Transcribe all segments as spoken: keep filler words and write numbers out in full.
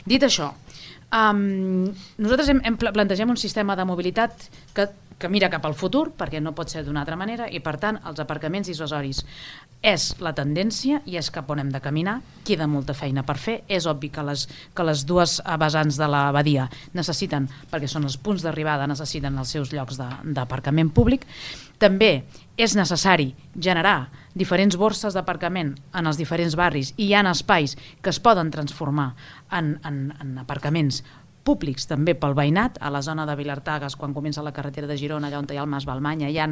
Dit això, um, nosaltres hem, hem plantegem un sistema de mobilitat que, que mira cap al futur, perquè no pot ser d'una altra manera, i per tant els aparcaments dissuasoris és la tendència i és cap on hem de caminar. Queda molta feina per fer. És obvi que les, que les dues vessants de la badia necessiten, perquè són els punts d'arribada, necessiten els seus llocs d'aparcament públic. També és necessari generar diferents borses d'aparcament en els diferents barris, i hi ha espais que es poden transformar en, en, en aparcaments públics també pel veïnat. A la zona de Vilartagas, quan comença la carretera de Girona, allà on hi ha el Mas Balmanya, hi ha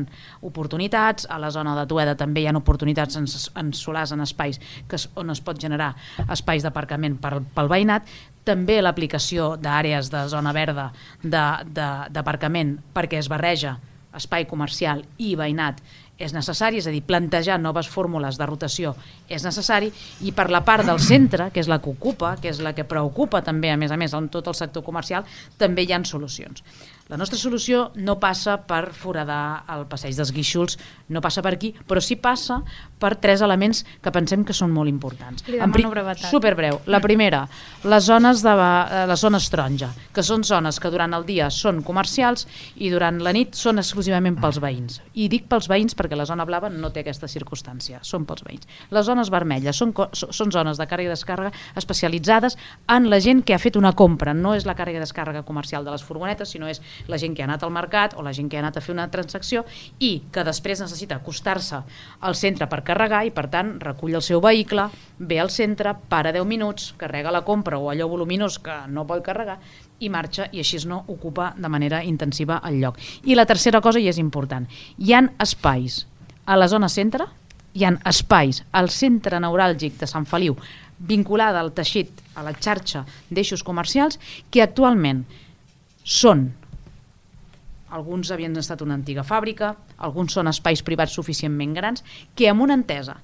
oportunitats. A la zona de Tueda també hi ha oportunitats en, en solars, en espais que es, on es pot generar espais d'aparcament pel, pel veïnat. També l'aplicació d'àrees de zona verda d'aparcament, perquè es barreja espai comercial i veïnat, és necessari, és a dir, plantejar noves fórmules de rotació és necessari, i per la part del centre, que és la que ocupa, que és la que preocupa també, a més a més, en tot el sector comercial, també hi ha solucions. La nostra solució no passa per foradar el passeig dels Guíxols, no passa per aquí, però sí passa per tres elements que pensem que són molt importants. Li demano brevetat. Superbreu. La primera, les zones de les zones taronja, que són zones que durant el dia són comercials i durant la nit són exclusivament pels veïns. I dic pels veïns perquè la zona blava no té aquesta circumstància, són pels veïns. Les zones vermelles són, són zones de càrrega i descàrrega especialitzades en la gent que ha fet una compra, no és la càrrega i descàrrega comercial de les furgonetes, sinó és la gent que ha anat al mercat o la gent que ha anat a fer una transacció i que després necessita acostar-se al centre per carregar, i per tant recull el seu vehicle, ve al centre, para deu minuts, carrega la compra o allò voluminós que no pot carregar i marxa, i així no ocupa de manera intensiva el lloc. I la tercera cosa, i és important, hi ha espais a la zona centre, hi ha espais al centre neuràlgic de Sant Feliu vinculada al teixit, a la xarxa d'eixos comercials, que actualment són, alguns havien estat una antiga fàbrica, alguns són espais privats suficientment grans, que amb una entesa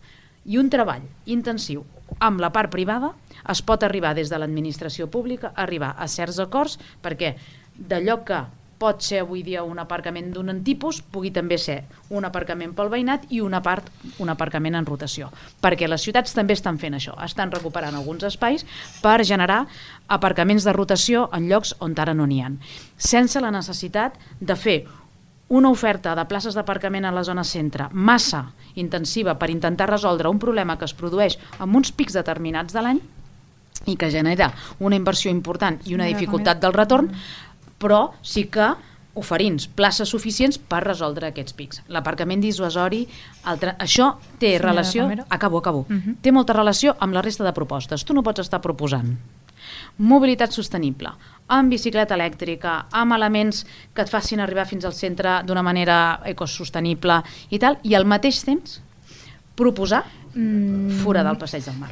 i un treball intensiu amb la part privada es pot arribar des de l'administració pública a arribar a certs acords, perquè d'allò que pot ser avui dia un aparcament d'un tipus, pugui també ser un aparcament pel veïnat i una part, un aparcament en rotació. Perquè les ciutats també estan fent això, estan recuperant alguns espais per generar aparcaments de rotació en llocs on ara no n'hi ha, sense la necessitat de fer una oferta de places d'aparcament a la zona centre massa intensiva per intentar resoldre un problema que es produeix amb uns pics determinats de l'any i que genera una inversió important i una dificultat del retorn, però sí que oferint places suficients per resoldre aquests pics. L'aparcament dissuasori, això té relació, acabo, acabo, té molta relació amb la resta de propostes. Tu no pots estar proposant mobilitat sostenible, amb bicicleta elèctrica, amb elements que et facin arribar fins al centre d'una manera ecosostenible i tal, i al mateix temps proposar fora del passeig del Mar.